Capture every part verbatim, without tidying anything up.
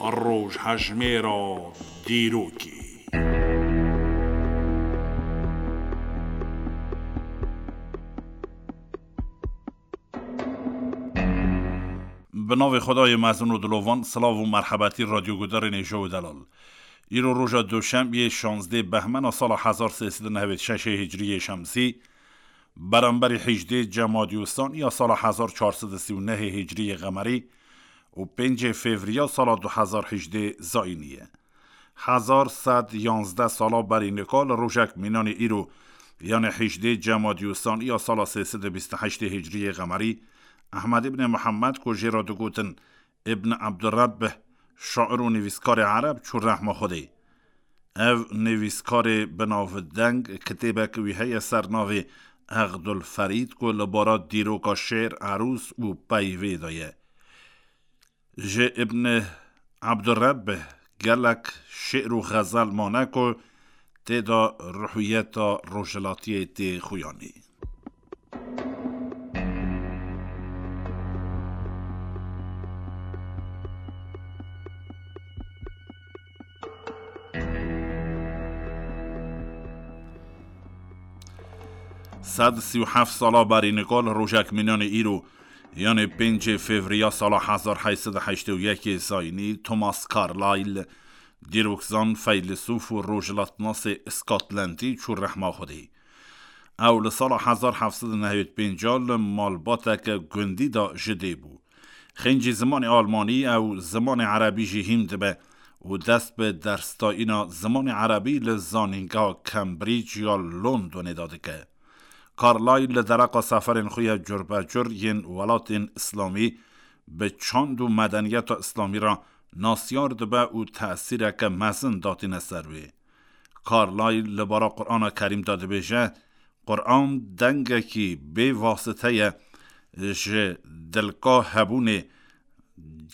Rojhejmêra dîrokê. Bi navê Xwedayê mezin û dilovan, silav û merhebetî radyogudarên hêja û delal. Îro roja Duşembiyê şazdeh Behmena sala hezar sê sed û nehwêd şeşê Hicriyê Şemsî, beramberî hejdê Cemadî Ûstan ya sala hezar çar sed û sî û nehê Hicriyê Qemerî û pêncê Fevriya sala du hezar hejdê Zayînî ye. Hezar sed yanzdeh sala berî nika li rojek mînanê îro, yanê hejdê Cemadî Ûstan ya sala sê sed û bîst û heştê Hicriyê Qemerî, Ehmed îbnê Mihemed ku jê re digotin Îbn Ebdurrebbih, şair û nivîskarê ereb çû rehma Xwedê. Ev nivîskarê binavdeng kitêbek wî heye ser navê Eqdul Ferîd ku li bara dîroka şêr, erûs û peyvê de ye. Ji Îbn Ebdurrebbih gelek şêr û xezel mane ku tê de ruhiyeta rojhilatiyê tê xuyanî. Sed sî û heft sala berî nika li rojek mînanê îro, yanê pêncê Fevriya sala hezar heyt sed û heştê û yekê Zayînî, Thomas Carlyle, dîrokzan, feylisûf û rojhilatnasê Îskotlendî çû rehma Xwedê. Ew li sala hezar heft sed û nehwêd pênc li malbateke gundî de ji dê bû. Xêncî zimanê almanî ew zimanê erebî jî hîn dibe û dest bi dersdayîna zimanê erebî li zanîngeha Cambridge ya Londonê de dike. Carlyle li dereqa seferên xwe ya curbecur yên welatên îslamî bi çand û medeniyeta îslamî re nasyar dibe û tesîreke mezin datîne ser wê. Carlyle li bara Qur'ana Kerîm de dibêje, Qur'an dengekî bê wasite ye, ji dilka hebûnê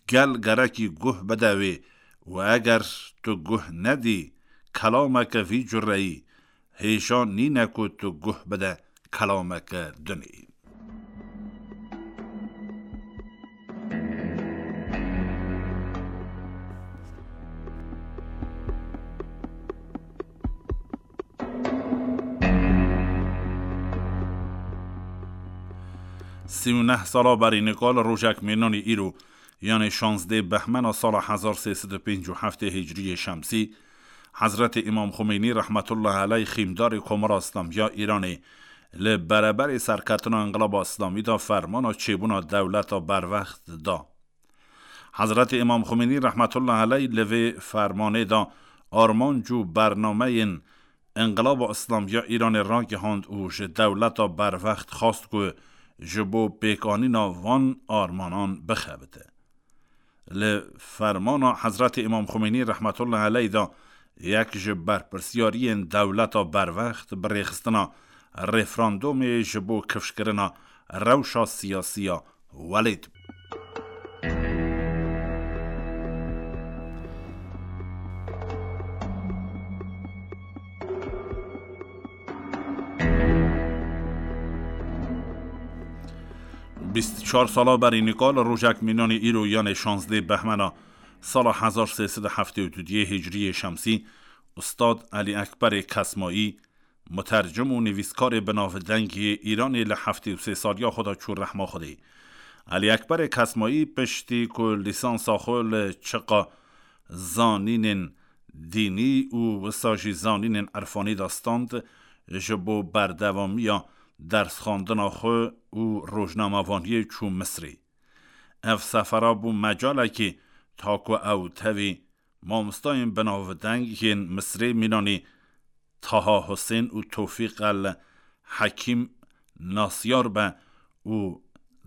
gel gerekî guh bide wê û eger tu guh nedî kelameke vî cureyî, hêja nîne ku tu guh bide kelameke dinê. Sî û neh sala berî nika li rojek mênanî îro, yanê şazdeh Behmena sala hezar sê sed û pêncî û heftê Hicriyê Şemsî, Hezretê Îmam Xumeynî rehmetullah eleyh xîmdarê Komara Îslamî ya Îranê li bereberê serketina Înqilaba Îslamî de fermana çêbûna dewleta berwext da. Hezretê Îmam Xumeynî rehmetullah eleyh li vê fermanê de armanc û bernameyên Înqilaba Îslamî ya Îranê ragihand û ji dewleta berwext xwast ku ji bo pêkanîna van armanan bixebite. Li fermana Hezretê Îmam Xumeynî rehmetullah eleyh de yek ji berpirsiyariyên dewleta berwext bi rêxistina referandumê ji bo kifşkirina rewşa siyasî ya welêt bû. Bîst û çar sala berî nika li rojek mînanê îro, yanê şazdeh Behmena sala hezar sê sed û heftê û duyê Hicriyê Şemsî, Ustad Elî Ekberê Kesmayî, mutercim û nivîskarê binavdeng yê Îranê, li heftê û sê saliya xwe de çû rehma Xwedê. Elî Ekberê Kesmayî piştî ku lîsansa xwe li çiqa zanînên dînî û wisa jî zanînên irfanî de stand, ji bo berdewamiya dersxwendina xwe û rojnamevaniyê çû Misrê. Ev sefera bû mecalekî ta ku ew tevî mamostayên binavdeng yên Misrê mînanî Taha Husên û Tofîq el Hekîm nasyar be û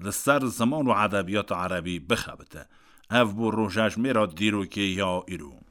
li ser ziman û edebiyata erebî bixebite. Ev bû rojejmêra dîrokê ya îro.